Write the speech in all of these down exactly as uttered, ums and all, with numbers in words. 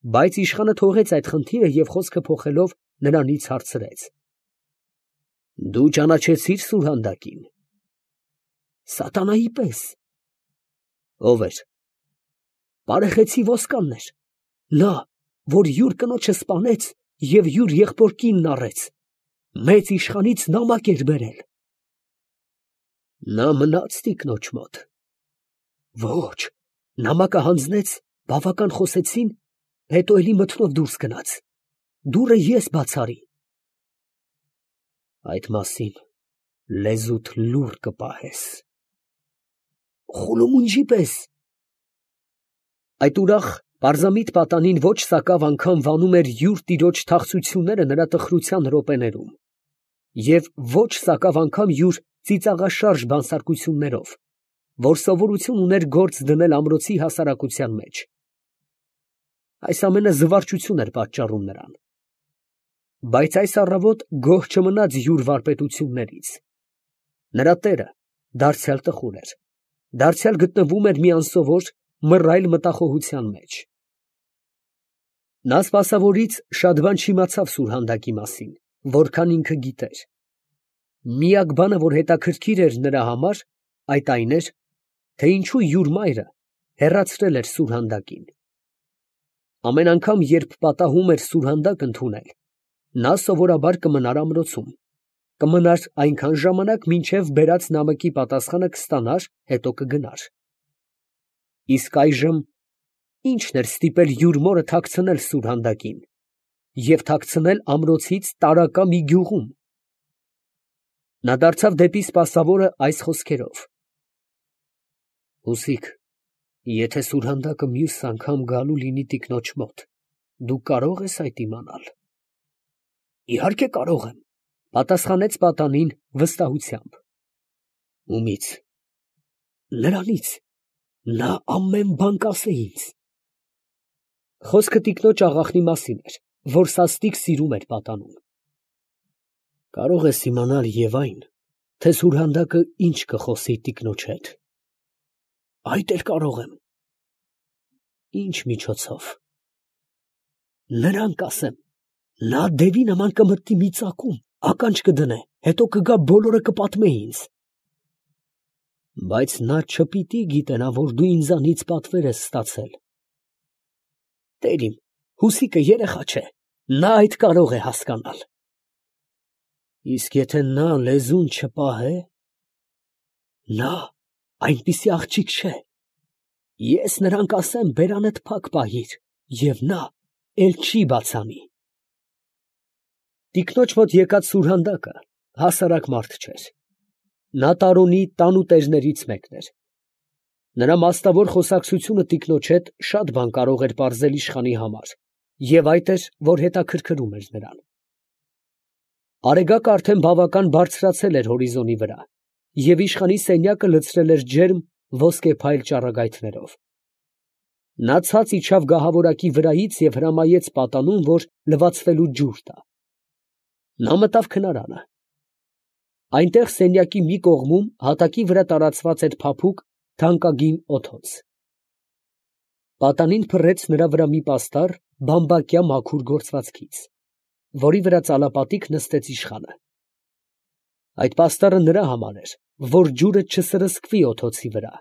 Բայց իշխանը թողեց այդ խնդիրը և խոսքը փոխելով նրանից հարցրեց. «Դու ճանաչեցի՞ր Սուրհանդակին»։ Սատանայի պես։ Ո՞վ էր։ Բարեխեցի Ոսկանն էր, նա, որ յուր կնոջը սպանեց և յուր եղբոր կինն առեց, մեծ իշխանից նամակ էր բերել։ Նա մնա՞ց տիկնոջ մոտ։ Ոչ, նամակը հանձնեց, բավական խոսեցին, հետո էլի մթնով դուրս գնաց, դուռը ես բաց արի։ Այդ մասին լեզուդ լուռ կպահես։ Խուլումունջի պես։ Այդ ուրախ պարզամիտ պատանին ոչ սակավ անգամ վանում էր յուր տիրոջ թախծությունները նրա տխրության րոպեներում, և ոչ սակավ անգամ յուր ծիծաղաշարժ բանսարկություններով, որ սովորություն ուներ գործ դնել ամրոցի հասարակության մեջ։ Այս ամենը զվարճություն էր պատճառում նրան։ Բայց այս առավոտ գոհ չմնաց յուր վարպետություններից։ Նրա տերը դարձյալ տխուր էր, դարձյալ գտնվում էր մի անսովոր, մռայլ մտախոհության մեջ։ Նա սպասավորից շատ բան չիմացավ Սուրհանդակի մասին, որքան ինքը գիտեր։ Միակ բանը, որ հետաքրքիր էր նրա համար, այդ այն էր, թե ինչու յուր մայրը հեռացրել էր Սուրհանդակին։ Ամեն անգամ, երբ պատահում էր Սուրհանդակ ընդունել, նա սովորաբար կմնար ամրոցում, կմնար այնքան ժամանակ, մինչև բերած նամակի պատասխանը կստանար, հետո կգնար։ Իսկ այժմ ի՞նչն էր ստիպել յուր մորը թաքցնել Սուրհանդակին և թաքցնել ամրոցից տարակա մի գյուղում։ Նա դարձավ դեպի սպասավորը այս խոսքերով. Հուսիկ, եթե Սուրհանդակը մյուս անգամ գալու լինի տիկնոջ մոտ, դու կարո՞ղ ես այդ իմանալ։ Իհարկե կարող եմ, պատասխանեց պատանին վստահությամբ։ Ումի՞ց։ Նրանից, նա ամեն բան կասե ինձ։ Խոսքը տիկնոջ աղախնի մասին էր, որ սաստիկ սիրում էր պատանուն։ Կարող ես իմանալ և այն, թե Սուրհանդակը ինչ կխոսի տիկնոջ հետ։ Այդ էլ կարող եմ։ Ինչ միջոցով։ Նրան կասեմ, նա դևի նման կմտնի մի ծակում, ականջ կդնե, հետո կգա բոլորը կպատմե ինձ։ Բայց նա չպիտի գիտենա, որ դու ինձանից պատվեր ես ստացել։ Տեր իմ, Հուսիկը երեխա չէ, նա այդ կարող է հասկանալ։ Իսկ եթե նա լեզուն չպահե, նա այնպիսի աղջիկ չէ։ Ես նրան կասեմ բերանդ փակ պահիր, և նա էլ չի բացանի։ Տիկնոջ մոտ եկած Սուրհանդակը հասարակ մարդ չէր։ Նա տարոնի տանուտերներից մեկն էր։ Նրա մասնավոր խոսակցությունը տիկնոջ հետ շատ բան կարող էր պարզել իշխանի համար, և այդ էր, որ հետաքրքրում էր նրան։ Արեգակը արդեն բավական բարձրացել էր հորիզոնի վրա, և իշխանի սենյակը լցրել էր ջերմ ոսկեփայլ ճառագայթներով։ Նա ցած իջավ գահավորակի վրայից և հրամայեց պատանուն, որ լվացվելու ջուր տա։ Նա մտավ քնարանը։ Այնտեղ սենյակի մի կողմում հատակի վրա տարածված էր փափուկ, թանկագին օդոց։ Պատանին փռեց նրա վրա մի պաստառ բամբակյա մաքուր գործվածքից, որի վրա ծալապատիկ նստեց իշխանը։ Այդ պաստառը նրա համար էր, որ ջուրը չսրսկվի օդոցի վրա։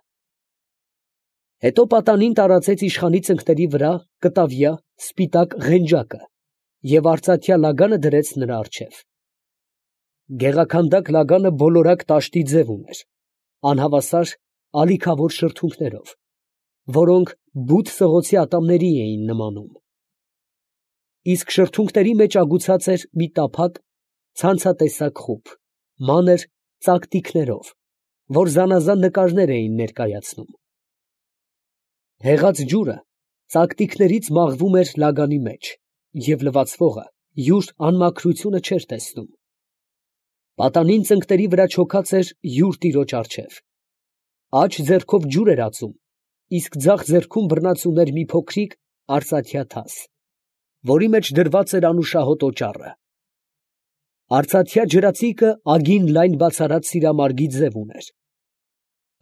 Հետո պատանին տարածեց իշխանի ծնկների վրա կտավյա, սպիտակ ղենջակը և արծաթյա լագանը դրեց նրա առջև։ Գեղաքանդակ լագանը բոլորակ տաշտի ձև ուներ, անհավասար ալիքավոր շրթունքներով, որոնք բութ սղոցի ատամների էին նմանում։ Իսկ շրթունքների մեջ ագուցած էր մի տափակ, ցանցատեսակ խուփ, մանր ծակտիկներով, որ զանազան նկարներ էին ներկայացնում։ Հեղած ջուրը ծակտիկներից մաղվում էր լագանի մեջ, և լվացվողը յուր անմաքրությունը չէր տեսնում։ Պատանին ծնկների վրա չոքած էր յուր տիրոջ առջև։ Աջ ձեռքով ջուր էր ածում, իսկ ձախ ձեռքում բռնած ուներ մի փոքրիկ արծաթյա թաս, որի մեջ դրված էր անուշահոտ օճառը։ Արծաթյա ջրածիկը ագին լայն բացառած սիրամարգի ձև ուներ։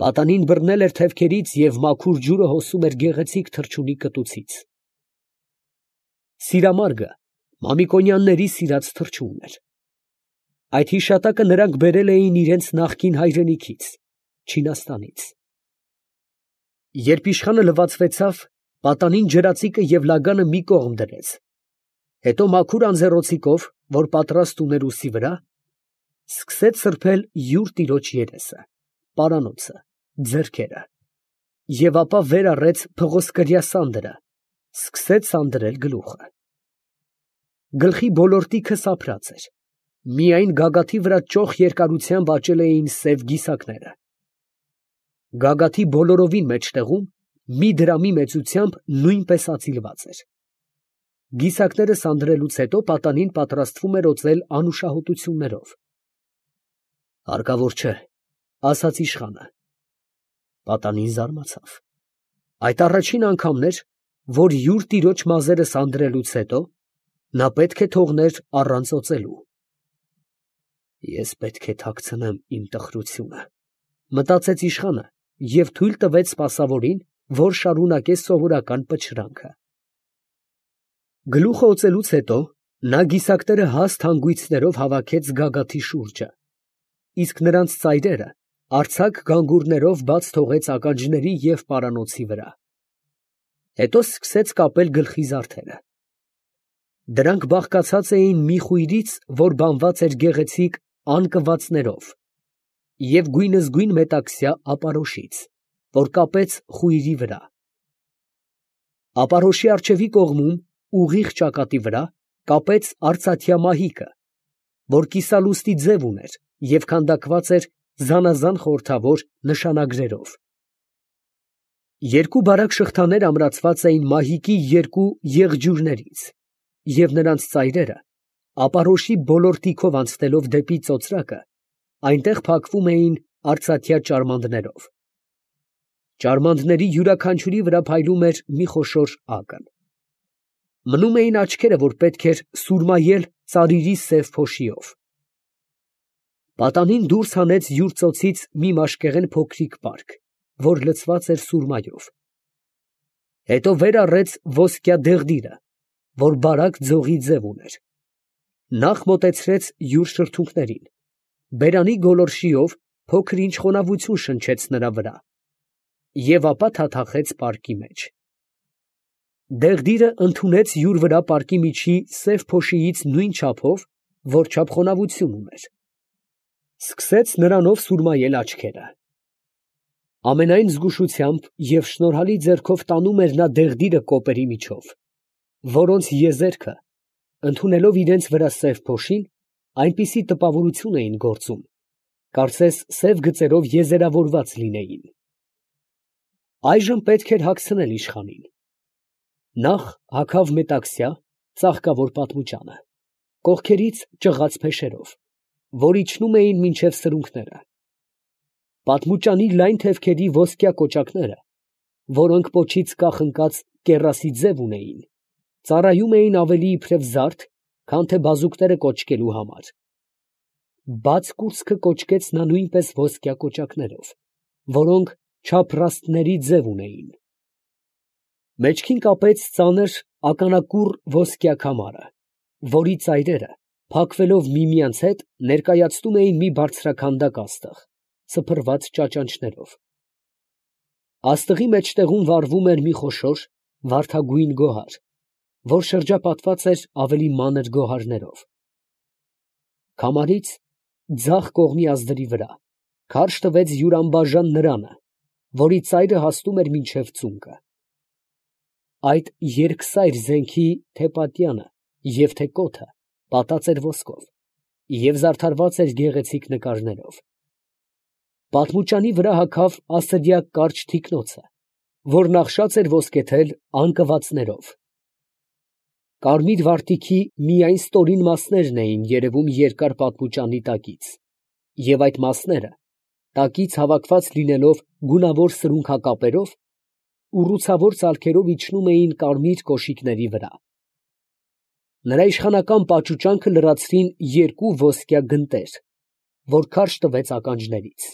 Պատանին բռնել էր թևքերից և մաքուր ջուրը հոսում էր գեղեցիկ թռչունի կտուցից։ Սիրամարգը Մամիկոնյանների սիրած թռչունն էր։ Այդ հիշատակը նրանք բերել էին իրենց նախկին հայրենիքից, Չինաստանից։ Երբ իշխանը լվացվեցավ, պատանին ջրածիկը և լագանը մի կողմ դրեց, հետո մաքուր անձեռոցիկով, որ պատրաստ ուներ ուսի վրա, սկսեց սրբել յուր տիրոջ երեսը, պարանոցը, ձեռքերը, և ապա վեր առեց փղոսկրյա սանդրը, սկսեց սանդրել գլուխը։ Գլխի բոլոր տիքը սափրած էր, միայն գագաթի վրա ճոխ երկարությամբ աճել էին սև գիսակները։ Գագաթի բոլորովին մեջտեղում մի դրամի մեծությամբ նույնպես ածիլված էր։ Գիսակները սանրելուց հետո պատանին պատրաստվում էր օծել անուշահոտություններով։ «Հարկավոր չէ», ասաց իշխանը։ Պատանին զարմացավ։ Այդ առաջին անգամն էր, որ յուր տիրոջ մազերը սանրելուց հետո նա պետք է թողներ առանց օծելու։ «Ես պետք է թաքցնեմ իմ տխրությունը», մտածեց իշխանը և թույլ տվեց սպասավորին, որ շարունակե սովորական պչրանքը։ Գլուխը օծելուց հետո նա գիսակները հաստ հանգույցներով հավաքեց գագաթի շուրջը, իսկ նրանց ծայրերը արձակ գանգուրներով բաց թողեց ականջների և պարանոցի վրա։ Հետո սկսեց կապել գլխի զարդերը։ Դրանք բաղկացած էին մի խույրից, որ բանված էր գեղեցիկ անկվածներով, և գույնզգույն մետաքսյա ապարոշից, որ կապեց խույրի վրա։ Ապարոշի առջևի կողմում, ուղիղ ճակատի վրա, կապեց արծաթյա մահիկը, որ կիսալուստի ձև ուներ և քանդակված էր զանազան խորհրդավոր նշանագրերով։ Երկու բարակ շղթաներ ամրացված էին մահիկի երկու եղջյուրներից, և նրանց ծայրերը, ապարոշի բոլոր տիքով անցնելով դեպի ծոծրակը, այնտեղ փակվում էին արծաթյա ճարմանդներով։ Ճարմանդների յուրաքանչյուրի վրա փայլում էր մի խոշոր ակն։ Մնում էին աչքերը, որ պետք էր սուրմայել ծարիրի սև փոշիով։ Պատանին դուրս հանեց յուր ծոցից մի մաշկեղեն փոքրիկ պարկ, որ լցված էր սուրմայով։ Հետո վեր առեց ոսկյա դեղդիրը, որ բարակ ձողի ձև ուներ։ Նախ մոտեցրեց յուր շրթունքներին, բերանի գոլորշիով փոքր ինչ խոնավություն շնչեց նրա վրա և ապա թաթախեց պարկի մեջ։ Դեղդիրը ընդունեց յուր վրա պարկի միջի սև փոշիից նույն չափով, որչափ խոնավություն ուներ։ Սկսեց նրանով սուրմայել աչքերը։ Ամենայն զգուշությամբ և շնորհալի ձեռքով տանում էր նա դեղդիրը կոպերի միջով, որոնց եզերքը, ընդունելով իրենց վրա սև փոշին, այնպիսի տպավորություն էին գործում, կարծես սև գծերով եզերավորված լինեին։ Այժմ պետք էր հագցնել իշխանին։ Նախ հագավ մետաքսյա, ծաղկավոր պատմուճանը, կողքերից ճղած փեշերով, որ իջնում էին մինչև սրունքները։ Պատմուճանի լայն թևքերի ոսկյա կոճակները, որոնք պոչից կախնկած կեռասի ձև ունեին, ծառայում էին ավելի իբրև զարդ, քան թե բազուկները կոճկելու համար։ Բաց կուրծքը կոճկեց նա նույնպես ոսկյա կոճակներով, որոնք չափրաստների ձև ունեին։ Մեջքին կապեց ծանր ականակուռ ոսկյա քամարը, որի ծայրերը, փակվելով միմյանց հետ, ներկայացնում էին մի բարձրաքանդակ աստղ, սփռված ճաճանճներով։ Աստղի մեջտեղում վառվում էր մի խոշոր վարդագույն գոհար, որ շրջապատված էր ավելի մանր գոհարներով։ Քամարից, ձախ կողմի ազդրի վրա, քարշ տվեց յուր անբաժան նրանը, որի ծայրը հասնում էր մինչև ծունկը։ Այդ երկսայր զենքի թե պատյանը և թե կոթը պատած էր ոսկով և զարդարված էր գեղեցիկ նկարներով։ Պատմուճանի վրա հագավ ասրյակ կարճ թիկնոցը, որ նախշած էր ոսկեթել անկվածներով։ Կարմիր վարտիքի միայն ստորին մասներն էին երևում երկար պատմուճանի տակից, և այդ մասները, տակից հավաքված լինելով գունավոր սրունքակապերով, ուռուցավոր ծալքերով իջնում էին կարմիր կոշիկների վրա։ Նրա իշխանական պաճուճանքը լրացրին երկու ոսկյա գնտեր, որ քարշ տվեց ականջներից։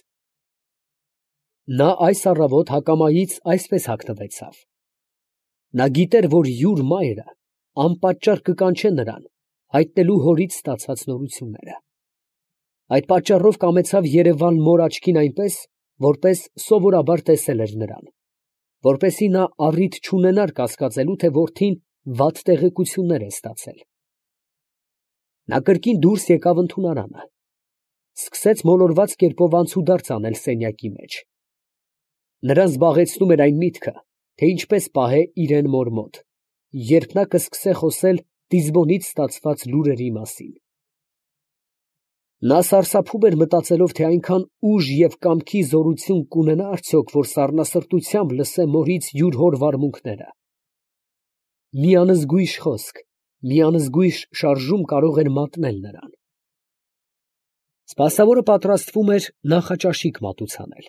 Նա այս առավոտ հակամայից այսպես հագնվեցավ. նա գիտեր, որ յուր մայրը անպատճառ կկանչե նրան, հայտնելու հորից ստացած նորությունները։ Այդ պատճառով կամեցավ երևալ մոր աչքին այնպես, որպես սովորաբար տեսել էր նրան, որպեսզի նա առիթ չունենար կասկածելու, թե որդին վատ տեղեկություններ է ստացել։ Նա կրկին դուրս եկավ ընդունարանը, սկսեց մոլորված կերպով անցուդարձ անել սենյակի մեջ։ Նրան զբաղեցնում էր այն միտքը, թե ինչպես պահե իրան մոր մոտ, երբ նա կսկսե խոսել Տիզբոնից ստացված լուրերի մասին։ Նա սարսափում էր մտածելով, թե այնքան ուժ և կամքի զորություն կունենա արդյոք, որ սառնասրտությամբ լսե մորից յուր հոր վարմունքները։ Մի անզգույշ խոսք, մի անզգույշ շարժում կարող էր մատնել նրան։ Սպասավորը պատրաստվում էր նախաճաշիկ մատուցանել։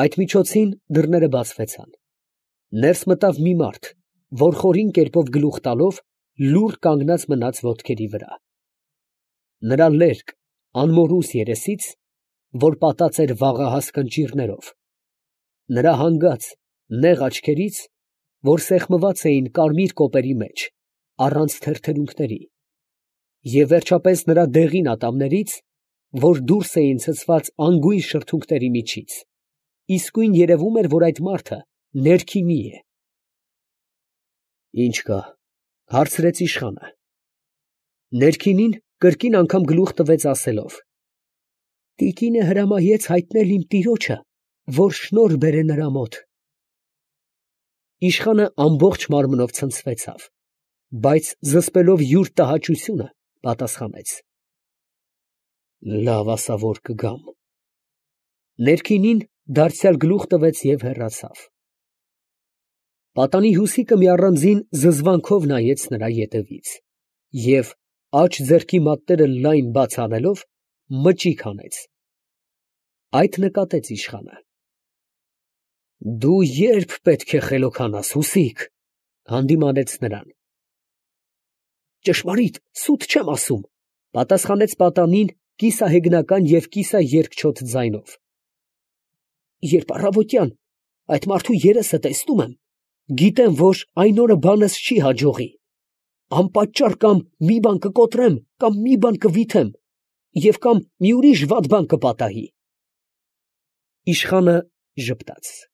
Այդ միջոցին դռները բացվեցան։ Ներս մտավ մի մարդ, որ խորին կերպով գլուխ տալով լուռ կանգնած մնաց ոտքերի վրա։ Նրա լերկ, անմորուս երեսից, որ պատած էր վաղահաս կնճիռներով, նրա հանգած, նեղ աչքերից, որ սեղմված էին կարմիր կոպերի մեջ, առանց թերթերունքների, և վերջապես նրա դեղին ատամներից, որ դուրս էին ցցված անգույն շրթունքների միջից, իսկույն երևում էր, որ այդ մարդը ներքինի է։ ֊ Ի՞նչ կա, ֊ հարցրեց իշխանը։ Ներքինին կրկին անգամ գլուխ տվեց, ասելով. ֊ Տիկինը հրամայեց հայտնել իմ տիրոջը, որ շնորհ բերե նրա մոտ։ Իշխանը ամբողջ մարմնով ցնցվեցավ, բայց զսպելով յուր տհաճությունը, պատասխանեց. ֊ Լավ, ասա, որ կգամ։ Ներքինին դարձյալ գլուխ տվեց և հեռացավ։ Պատանի Հուսիկը մի առանձին զզվանքով նայեց նրա ետևից և, աջ ձեռքի մատները լայն բաց անելով, մճիկ հանեց։ Այդ նկատեց իշխանը։ ֊ Դու ե՞րբ պետք է խելոքանաս, Հուսիկ, ֊ հանդիմանեց նրան։ ֊ Ճշմարիտ, սուտ չեմ ասում, ֊ պատասխանեց պատանին կիսահեգնական և կիսաերգչոտ ձայնով։ ֊ Երբ առավոտյան այդ մարդու երեսը տեսնում եմ, գիտեմ, որ այն օրը բանս չի հաջողի. անպատճառ կամ մի բան կկոտրեմ, կամ մի բան կվիթեմ, և կամ մի ուրիշ վատ բան կպատահի։ Իշխանը ժպտաց։